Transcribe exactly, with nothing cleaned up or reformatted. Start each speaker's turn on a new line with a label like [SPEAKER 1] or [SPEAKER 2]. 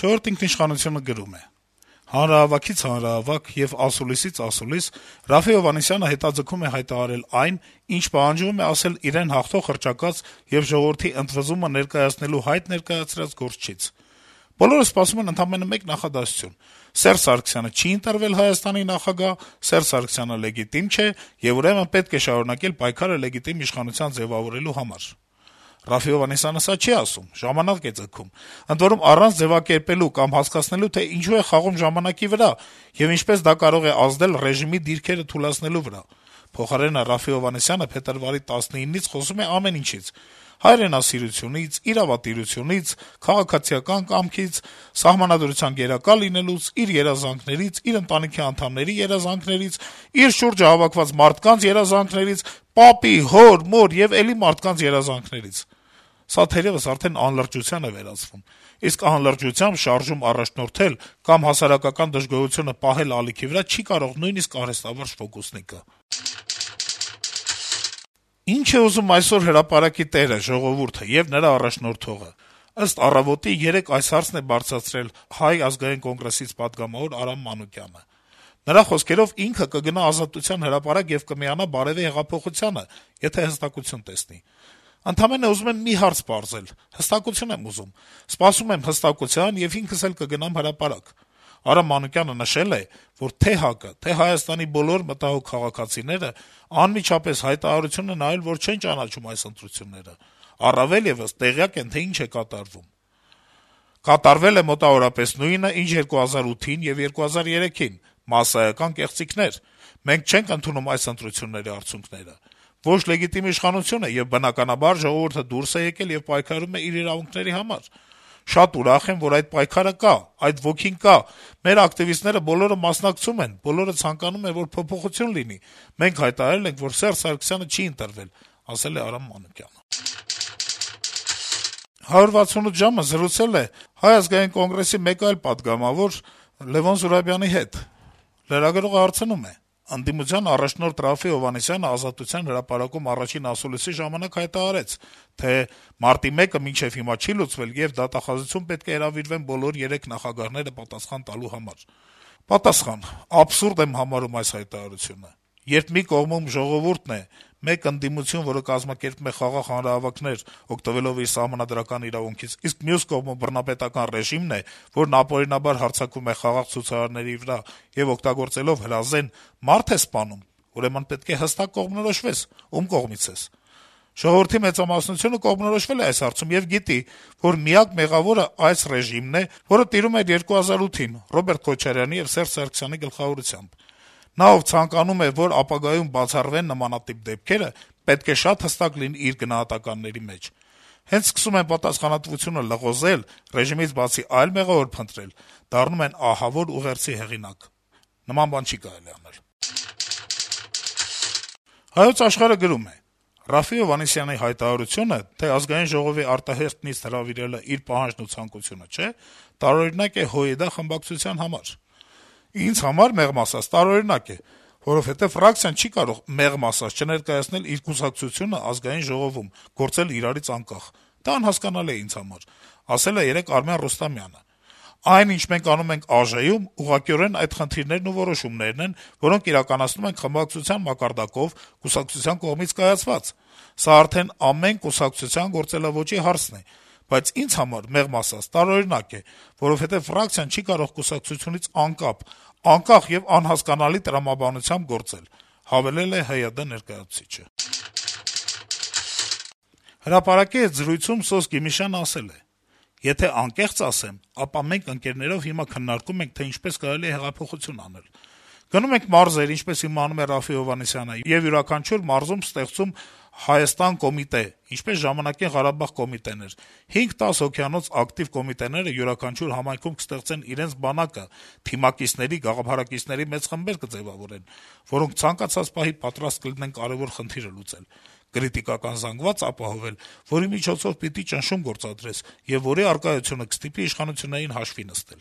[SPEAKER 1] «Չորրորդ ինքնիշխանություն»-ը գրում է. - «Հանրահավաքից հանրահավաք եւ ասուլիսից ասուլիս Րաֆֆի Հովհաննիսյանը հետաձգում է հայտարարել այն, ինչ պահանջվում է ասել իրեն հաղթող հռչակած եւ ժողովրդի ընդվզումը ներկայացնելու հայտ ներկայացրած գործչից: Բոլորը սպասում են ընդամենը մեկ նախադասություն. Սերժ Սարգսյանը չի ընտրվել Հայաստանի նախագահ, Սերժ Սարգսյանը լեգիտիմ չէ, եւ ուրեմն պետք է շարունակել պայքարը լեգիտիմ իշխանության ձեւավորելու համար: Րաֆֆի Հովհաննիսյանը սա չի ասում, ժամանակ է ձգում, ընդ որում առանց ձեւակերպելու կամ հասկացնելու, թե ինչու է խաղում ժամանակի վրա եւ ինչպես դա կարող է ազդել ռեժիմի դիրքերը թուլացնելու վրա: Փոխարենը Րաֆֆի Հովհաննիսյանը փետրվարի տասնինից խոսում է ամեն ինչից. հայրենասիրությունից, իրավատիրությունից, քաղաքացիական կամքից, սահմանադրության գերակա լինելուց, իր երազանքներից, իր ընտանիքի անդամների երազանքներից, իր շուրջը հավաքված մարդկանց երազանքներից, պապի, հոր, մոր եւ էլի մարդկանց երազանքներից: Սա թերեւս արդեն անլրջության է վերածվում, իսկ անլրջությամբ շարժում առաջնորդել կամ հասարակական դժգոհությունը պահել ալիքի վրա չի կարող նույնիսկ արհեստավարժ ֆոկուսնիկը»: Ինչ է ուզում այսօր հրապարակի տերը, ժողովուրդը եւ նրա առաջնորդողը: Ըստ «Առավոտ»-ի, երեկ այս հարցն է բարձրացրել Հայ ազգային կոնգրեսից պատգամավոր Արամ Մանուկյանը: Նրա խոսքերով, ինքը կգնա Ազատության հրապարակ եւ կմիանա բարեւի հեղափոխությանը, եթե հստակություն տեսնի: Ընդամենը ուզում եմ մի հարց պարզել, հստակություն եմ ուզում: Սպասում եմ հստակության եւ ինքս էլ կգնամ հրապարակ: Արամ Մանուկյանը նշել է, որ թե' ՀԱԿ-ը, թե' Հայաստանի բոլոր մտահոգ քաղաքացիները անմիջապես հայտարարություն են արել, որ չեն ճանաչում այս ընտրությունները, առավել եւս տեղյակ են, թե ինչ է կատարվում: Կատարվել է մոտավորապես նույնը, ինչ երկու հազար ութին եւ երկու հազար երեքին` մասսայական կեղծիքներ: Մենք չենք ընդունում այս ընտրությունների արդյունքները: Ոչ լեգիտիմ իշխանություն է, եւ բնականաբար ժողովուրդը դուրս է եկել եւ պայքարում է իր իրավունքների համար: Շատ ուրախ եմ, որ այդ պայքարը կա, այդ ոգին կա: Մեր ակտիվիստները բոլորը մասնակցում են, բոլորը ցանկանում են, որ փոփոխություն լինի: Մենք հայտարարել ենք, որ Սերժ Սարգսյանը չի ընտրվել»: «հարյուր վաթսունութ ժամ»-ը զրուցել է Հայ ազգային կոնգրեսի մեկ այլ պատգամավոր Լեւոն Զուրաբյանի հետ: Լրագրողը հարցնում է. - «Ընդդիմության առաջնորդ Րաֆֆի Հովհաննիսյանը Ազատության հրապարակում առաջին ասուլիսի ժամանակ հայտարարեց, թե մարտի մեկը մինչեւ հիմա չի լուծվել, եւ դատախազություն պետք է հրավիրվեն բոլոր երեք նախագահները պատասխան տալու համար»: Պատասխան. - «Աբսուրդ եմ համարում այս հայտարարությունը: Երբ մի կողմում ժողովուրդն է, մեկ ընդդիմություն, որը կազմակերպում է խաղաղ հանրահավաքներ` օգտվելով իր սահմանադրական իրավունքից, իսկ մյուս կողմում բռնապետական ռեժիմն է, որն ապօրինաբար հարձակվում է խաղաղ ցուցարարների վրա եւ օգտագործելով հրազեն, մարդ է սպանում, ուրեմն պետք է հստակ կողմնորոշվես` ում կողմից ես: Ժողովրդի մեծամասնությունը կողմնորոշվել է այս հարցում եւ գիտի, որ միակ մեղավորը այս ռեժիմն է, որը տիրում էր երկու հազար ութին Ռոբերտ Քոչարյանի եւ Սերժ Սարգսյանի գլխավորությամբ: Նա, ով ցանկանում է, որ ապագայում բացառվեն նմանատիպ դեպքերը, պետք է շատ հստակ լինի իր գնահատականների մեջ: Հենց սկսում են պատասխանատվությունը լղոզել, ռեժիմից բացի այլ մեղավոր փնտրել, դառնում են ահավոր ուղերձի հեղինակ: Նման բան չի կարելի անել»: «Հայոց Աշխարհ»-ը գրում է. - «Րաֆֆի Հովհաննիսյանի հայտարարությունը, թե Ազգային ժողովի արտահերթ նիստ հրավիրելը իր պահանջն ու ցանկությունը չէ, տարօրինակ է ՀՅԴ խմբակցության համար: Ինձ համար, մեղմ ասած, տարօրինակ է, որովհետեւ ֆրակցիան չի կարող, մեղմ ասած, չներկայացնել իր կուսակցությունը Ազգային ժողովում, գործել իրարից անկախ: Դա անհասկանալի է ինձ համար», - ասել է երեկ Արմեն Ռուստամյանը: «Այն, ինչ մենք անում ենք ԱԺ-ում, ուղղակիորեն այդ խնդիրներն ու որոշումներն են, որոնք իրականացնում ենք խմբակցության մակարդակով, կուսակցության կողմից կայացված: Սա արդեն ամեն կուսակցության գործելաոճի հարցն է: Բայց ինձ համար, մեղմ ասած, տարօրինակ է, որովհետեւ ֆրակցիան չի կարող կուսակցությունից անկապ, անկախ եւ անհասկանալի տրամաբանությամբ գործել», - հավելել է ՀՅԴ ներկայացուցիչը: «Հրապարակ»-ի հետ զրույցում Սոս Գիմիշյանը ասել է. - «Եթե անկեղծ ասեմ, ապա մենք ընկերներով հիմա քննարկում ենք, թե ինչպես կարելի է հեղափոխություն անել: Գնում ենք մարզեր, ինչպես հիմա անում է Րաֆֆի Հովհաննիսյանը, եւ յուրաքանչյուր մարզում ստեղծում Հայաստան կոմիտե, ինչպես ժամանակին Ղարաբաղ կոմիտեն էր: հինգ-տաս հոգյանոց ակտիվ կոմիտեները յուրաքանչյուր համայնքում կստեղծեն իրենց բանակը, թիմակիցների, գաղափարակիցների մեծ խմբեր կձեւավորեն, որոնք ցանկացած պահի պատրաստ կլինեն կարեւոր խնդիրը լուծել, կրիտիկական զանգված ապահովել, որի միջոցով պիտի ճնշում գործադրես եւ որի առկայությունը կստիպի իշխանություններին հաշվի նստել»: